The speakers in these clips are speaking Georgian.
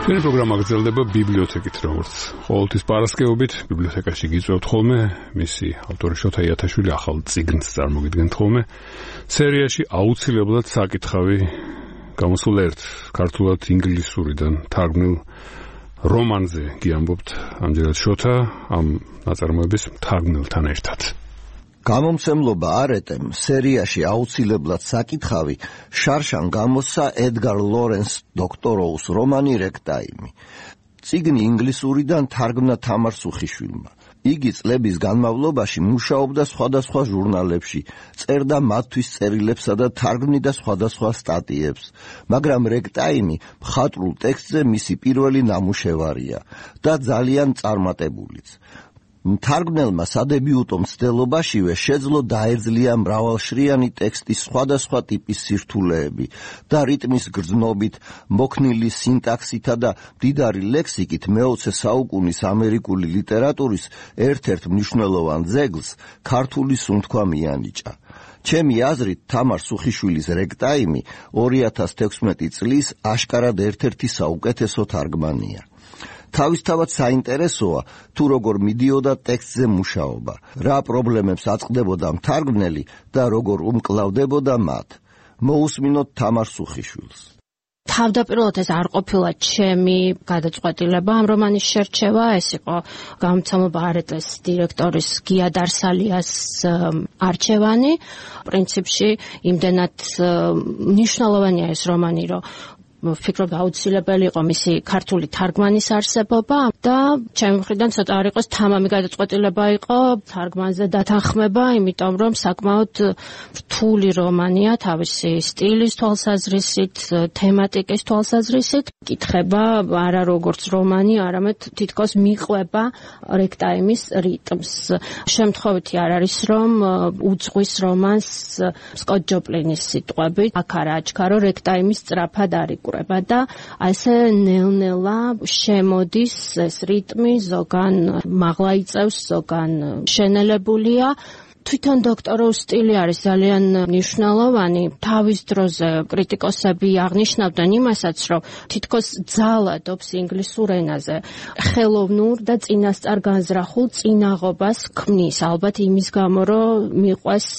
ჩვენი პროგრამა გრძელდება ბიბლიოთეკით, როგორც ყოველთვის პარასკევობით ბიბლიოთეკაში გიწევთ ხოლმე მისი ავტორი შოთა იათაშვილი ახალ წიგნს წარმოგიდგენთ ხოლმე. სერიაში აუცილებლად საკითხავი გამოსულ ერთ ქართულად ინგლისურიდან თარგმნილ რომანზე გიამბობთ ამჯერად შოთა ამ ნაწარმოების მთარგმნელთან ერთად. გამომცემლობა არეტემ სერიაში აუცილებლად საკითხავი შარშან გამოსცა ედგარ ლორენს დოქტოროუს რომანი რეკტაიმი. წიგნი ინგლისურიდან თარგმნა თამარ სუხიშვილმა. იგი წლების განმავლობაში მუშაობდა სხვადასხვა ჟურნალებში, წერდა მათთვის წერილებსა და თარგმნიდა სხვადასხვა სტატიებს, მაგრამ რეკტაიმი მხატვრულ ტექსტზე მისი პირველი ნამუშევარია და ძალიან წარმატებულიც. მთარგმნელმა სადებიუტო მცდელობაშივე შეძლო დაეძლია მრავალშრიანი ტექსტის სხვადასხვა ტიპის სირთულეები და რიტმის გრძნობით, მოქნილი სინტაქსითა და მდიდარი ლექსიკით მე-20 საუკუნის ამერიკული ლიტერატურის ერთ-ერთ მნიშვნელოვან ძეგლს ქართული სუნთქვა მიანიჭა. ჩემი აზრით, თამარ სუხიშვილის რეკტაიმი 2016 წლის აშკარად ერთ-ერთი საუკეთესო თარგმანია. თავისთავად საინტერესოა თუ როგორ მიდიოდა ტექსტზე მუშაობა, რა პრობლემებს აწყდებოდა მთარგმნელი და როგორ უმკლავდებოდა მათ. მოусმინოთ თამარ სუხიშვილს. თავდაპირველად ეს არ ყოფილა ჩემი გადაწყვეტილება ამ რომანის შერჩევა, ეს იყო გამომცემლობა არეტეს დირექტორის გია დარსალიას არჩევანი. პრინციპში იმდენად მნიშვნელოვანია ეს რომანი, რომ ვფიქრობ აუცილებელი იყო მისი ქართული თარგმანის არსებობა და ჩემი მხრიდან ცოტა არ იყოს თამამი გადაწყვეტილება იყო თარგმანზე დათანხმება, იმიტომ რომ საკმაოდ რთული რომანია თავისი სტილის თვალსაზრისით, თემატიკის თვალსაზრისით. კითხება არა როგორც რომანი, არამედ თითქოს მიყვება რეკტაიმის რიტმს. შემთხვევითი არ არის, რომ უძღვის რომანს სკოტ ჯოპლინის სიტყვებით, აქ არა აჩქარო რეკტაიმის სწრაფად არიკურება და ასე ნელ-ნელა შემოდის ეს რიტმი, ზოგან მაღლა იწევს, ზოგან შენელებულია. თვითონ დოქტოროვის სტილი არის ძალიან მნიშვნელოვანი. თავის დროზე კრიტიკოსები აღნიშნავდნენ იმასაც, რომ თითქოს ძალადობს ინგლისურ ენაზე. ხელოვნურ და წინასწარ განზრახულ წინაღობას ქმნის, ალბათ იმის გამო, რომ მიყვეს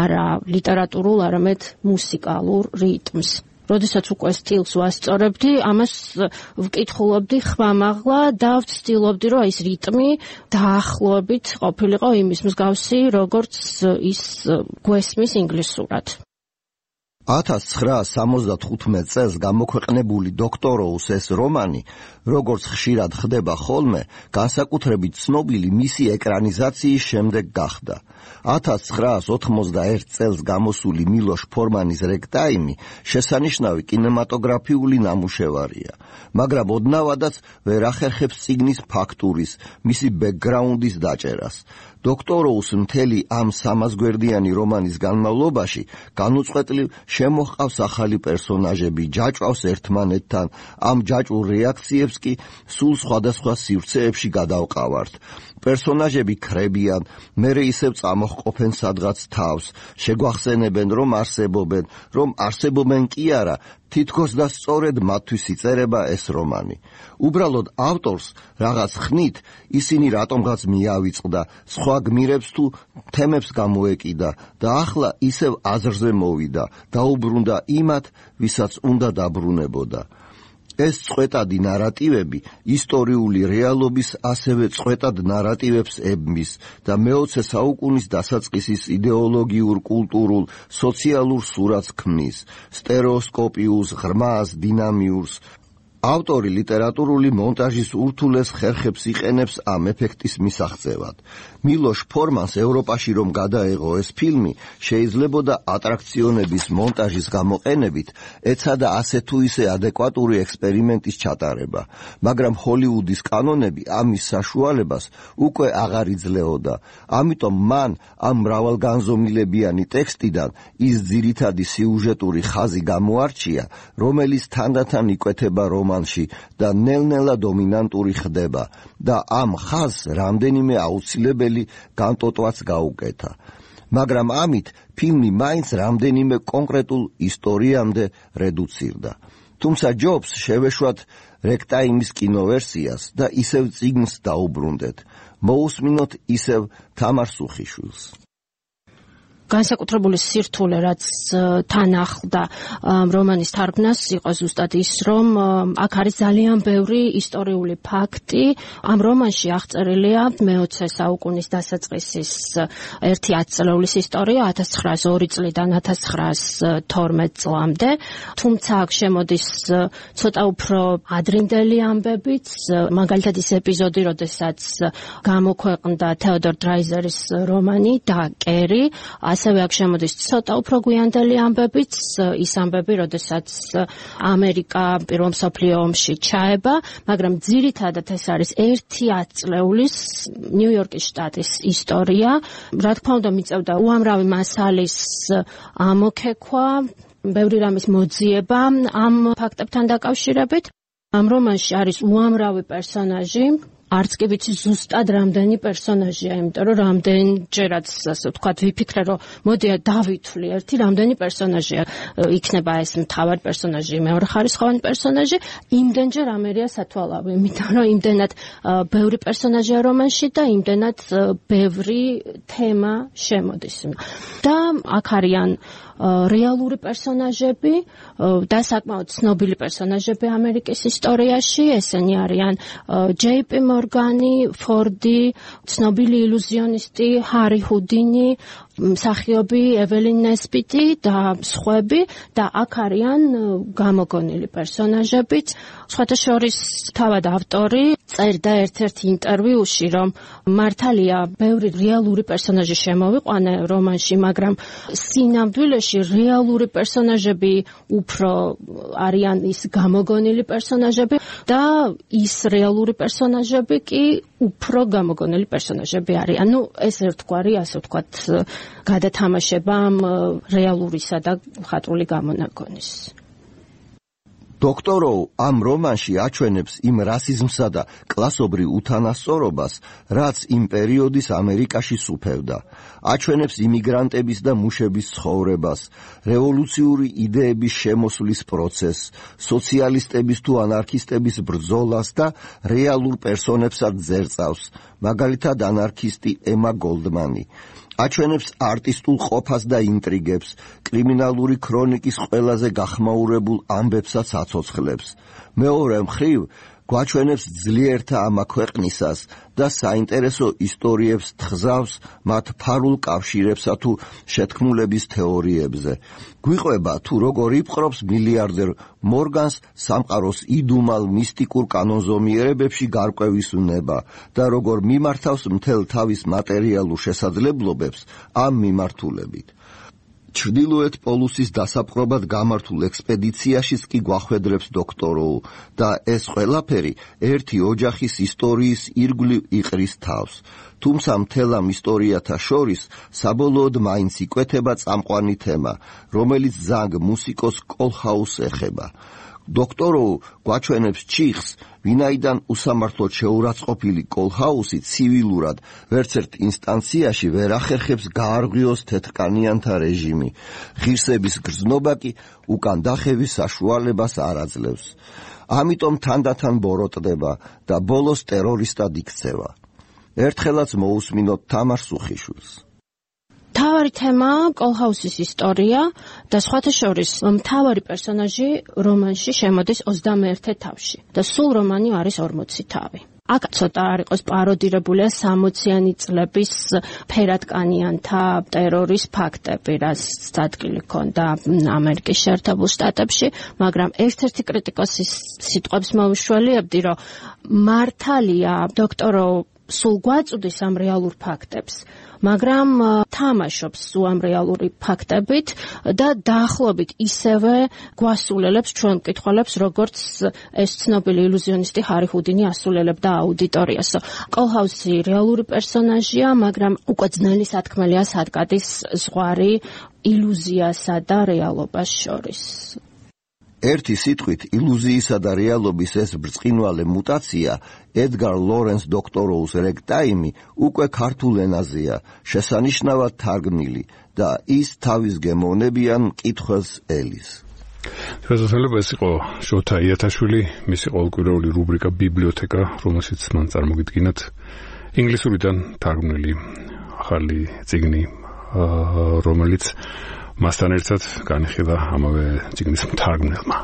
არა ლიტერატურულ, არამედ მუსიკალურ რიტმს. როდესაც უკვე სტილს ვასწორებდი, ამას ვკითხულობდი ხმამაღლა და ვცდილობდი, რომ ეს რიტმი დაახლოებით ყოფილიყო იმის მსგავსი, როგორც ის გვესმის ინგლისურად. 1975 წელს გამოქვეყნებული დოქტოროუს ეს რომანი, როგორც ხშირად ხდება ხოლმე, განსაკუთრებით ცნობილი მისი ეკრანიზაციის შემდეგ გახდა. 1991 წელს გამოსული მილოშ ფორმანის რეკტაიმი შესანიშნავი კინემატოგრაფიული ნამუშევარია, მაგრამ ოდნავადაც ვერ ახერხებს წიგნის ფაქტურის, მისი ბექგრაუნდის დაჭერას. დოქტოროუს მთელი ამ 300 გვერდიანი რომანის განმავლობაში განუწყვეტლივ შემოჰყავს ახალი პერსონაჟები, ჯაჭვავს ერთმანეთთან, ამ ჯაჭვურ რეაქციებს კი სულ სხვადასხვა სივრცეებში გადავყავართ. პერსონაჟები ქრებიან, მერე ისევ წამოჰყოფენ სადღაც თავს, შეგვახსენებენ, რომ არსებობენ კი არა, თითქოს და სწორედ მათთვის იწერება ეს რომანი. უბრალოდ ავტორს რაღაც ხნით ისინი რატომღაც მიავიწყდა, სხვა გმირებს თუ თემებს გამოეკიდა და ახლა ისევ აზრზე მოვიდა, დაუბრუნდა იმათ, ვისაც უნდა დაბრუნებოდა. ეს წყვეტადი ნარატივები ისტორიული რეალობის ასევე წყვეტად ნარატივებს ებმის და მე-20 საუკუნის დასაწყისის იდეოლოგიურ, კულტურულ, სოციალურ სურათს ქმნის, სტერეოსკოპიურს, ღრმას, დინამიურს. ავტორი ლიტერატურული მონტაჟის ურთულეს ხერხებს იყენებს ამ ეფექტის მისაღწევად. მილოშ ფორმანს ევროპაში რომ გადაეღო ეს ფილმი, შეიძლებოდა ატრაქციონების მონტაჟის გამოყენებით ეცადა ასე თუ ისე ადეკვატური ექსპერიმენტის ჩატარება, მაგრამ ჰოლივუდის კანონები ამის საშუალებას უკვე აღარ იძლეოდა. ამიტომ მან ამ მრავალგანზომილებიანი ტექსტიდან ის ძირითადი სიუჟეტური ხაზი გამოარჩია, რომელიც თანდათან იკვეთება რომანში და ნელ-ნელა დომინანტური ხდება და ამ ხაზს რამდენიმე აუცილებელი განტოტვაც გაუკეთა. მაგრამ ამით ფილმი მაინც რამდენიმე კონკრეტულ ისტორიამდე რედუცირდა. თუმცა ჯობს შევეშვათ რეკტაიმის კინოვერსიას და ისევ წიგნს დაუბრუნდეთ. მოусმინოთ ისევ თამარ სუხიშვილს. განსაკუთრებული სირთულე, რაც თან ახლდა რომანის თარგმნას, იყო ზუსტად ის, რომ აქ არის ძალიან ბევრი ისტორიული ფაქტი. ამ რომანში აღწერილია მე-20 საუკუნის დასაწყისის ერთი 10 წლეულის ისტორია 1902 წლიდან 1912 წლამდე. თუმცა აქ შემოდის ცოტა უფრო ადრინდელი ამბებიც, მაგალითად ის ეპიზოდი, როდესაც გამოქვეყნდა თეოდორ დრაიზერის რომანი და კერი, ასევე აქ შემოდის ცოტა უფრო გვიანდელი ამბებიც, ის ამბები, როდესაც ამერიკა პირველ მსოფლიო ომში ჩაება, მაგრამ ძირითადად ეს არის ერთი 10 წლეულის ნიუ-იორკის შტატის ისტორია. რა თქმა უნდა, მიწევდა უამრავი მასალის ამოქექვა, ბევრი რამის მოძიება ამ ფაქტებთან დაკავშირებით. ამ რომანში არის უამრავი პერსონაჟი, არც კი ვიცი ზუსტად რამდენი პერსონაჟია, იმიტომ რომ რამდენჯერაც, ასე ვთქვათ, ვიფიქრე, რომ მოდია დავითვლი ერთი რამდენი პერსონაჟია. იქნება ეს მთავარი პერსონაჟი, მეორეხარისხოვანი პერსონაჟი, იმდენჯერ ამერია სათვალავი, იმიტომ რომ იმდენად ბევრი პერსონაჟია რომანში და იმდენად ბევრი თემა შემოდის. და აქ არიან რეალური პერსონაჟები და საკმაოდ ცნობილი პერსონაჟები ამერიკის ისტორიაში, ესენი არიან ჯეი-პი მორგანი, ფორდი, ცნობილი ილუზიონისტი ჰარი ჰუდინი, მსახიობი ეველინ ნესბიტი და სხვები და აქ არიან გამოგონილი პერსონაჟებიც. სხვათა შორის თავად ავტორი წერდა ერთ-ერთ ინტერვიუში, რომ მართალია ბევრი რეალური პერსონაჟი შემოვიყვანა რომანში, მაგრამ სინამდვილეში რეალური პერსონაჟები უფრო არიან ის გამოგონილი პერსონაჟები და ის რეალური პერსონაჟები კი უფრო გამოგონილი პერსონაჟები არიან. ნუ ეს ერთგვარი, ასე ვთქვათ, გადათამაშება რეალურისა და მხატვრული გამონაგონის. დოქტოროუ ამ რომანში აჩვენებს იმ რასიზმსა და კლასობრივ უთანასწორობას, რაც იმ პერიოდის ამერიკაში სუფევდა. აჩვენებს იმიგრანტების და მუშების ცხოვრებას, რევოლუციური იდეების შემოსვლის პროცესს, სოციალისტების თუ ანარქისტების ბრძოლას და რეალურ პერსონებსაც ზერწავს, მაგალითად ანარქისტი ემა გოლდმანი. აჩვენებს არტისტულ ყოფას და ინტრიგებს, კრიმინალური ქრონიკის ყველაზე გახმაურებულ ამბებსაც აცოცხლებს. მეორე მხრივ, გვაჩვენებს ძლიერთა ამა ქვეყნისას და საინტერესო ისტორიებს თხზავს მათ ფარულ კავშირებსა თუ შეთქმულების თეორიებზე. გვიყვება თუ როგორ იპყრობს მილიარდერ მორგანს სამყაროს იდუმალ მისტიკურ კანონზომიერებებში გარკვევის უნება და როგორ მიმართავს მთელ თავის მატერიალურ შესაძლებლობებს ამ მიმართულებით. ჩრდილოეთ პოლუსის დასაპყრობად გამართულ ექსპედიციაშიც კი გვახვედრებს დოქტოროუ და ეს ყველაფერი ერთი ოჯახის ისტორიის ირგვლივ იყრის თავს. თუმცა მთელ ამ ისტორიათა შორის საბოლოოდ მაინც იკვეთება წამყვანი თემა, რომელიც ზანგ მუსიკოს კოლჰაუსს ეხება. დოქტოროუ გვაჩვენებს ჩიხს, ვინაიდან უსამართლოდ შეურაცხყოფილი კოლჰაუსი ცივილურად ვერცერთ ინსტანციაში ვერ ახერხებს გაარღვიოს თეთრკანიანთა რეჟიმი. ღირსების გრძნობა კი უკან დახევის საშუალებას არ აძლევს. ამიტომ თანდათან ბოროტდება და ბოლოს ტერორისტად იქცევა. ერთხელაც მოусმინოთ თამარ სუხიშვილს. მთავარი თემა კოლჰაუსის ისტორია და სხვათა შორის მთავარი პერსონაჟი რომანში შემოდის 21 თავში და სულ რომანი არის 40 თავი. აქ ცოტა არ იყოს პაროდირებულია 60-იანი წლების ფერადკანიანთა ტერორის ფაქტები, რაც ადგილი ჰქონდა ამერიკის შეერთებულ შტატებში, მაგრამ ერთ-ერთი კრიტიკოსის სიტყვებს მოვიშველიებდი, რომ მართალია დოქტორო სულ გვაწვდის ამ რეალურ ფაქტებს, მაგრამ თამაშობს ამ რეალური ფაქტებით და დაახლოებით ისევე გვასულელებს ჩვენ მკითხველებს, როგორც ეს ცნობილი ილუზიონისტი ჰარი ჰუდინი ასულელებდა აუდიტორიას. კოლჰაუსი რეალური პერსონაჟია, მაგრამ უკვე ძნელი სათქმელია სადგადის ზღვარი ილუზიასა და რეალობას შორის. ერთი სიტყვით ილუზიისა და რეალობის ეს ბრწყინვალე მუტაცია ედგარ ლორენს დოქტოროუს რეგტაიმი უკვე ქართულ ენაზეა შესანიშნავად თარგმნილი და ის თავის გემოვნებიან მკითხველს ელის. შესაძლოა ეს იყო შოთა იათაშვილი, მისი ყოველკვირეული რუბრიკა ბიბლიოთეკა, რომელშიც მან წარმოგიდგინათ ინგლისურიდან თარგმნილი ახალი წიგნი, რომელიც მასთან ერთად განიხილა ამავე წიგნის მთარგმნელმა.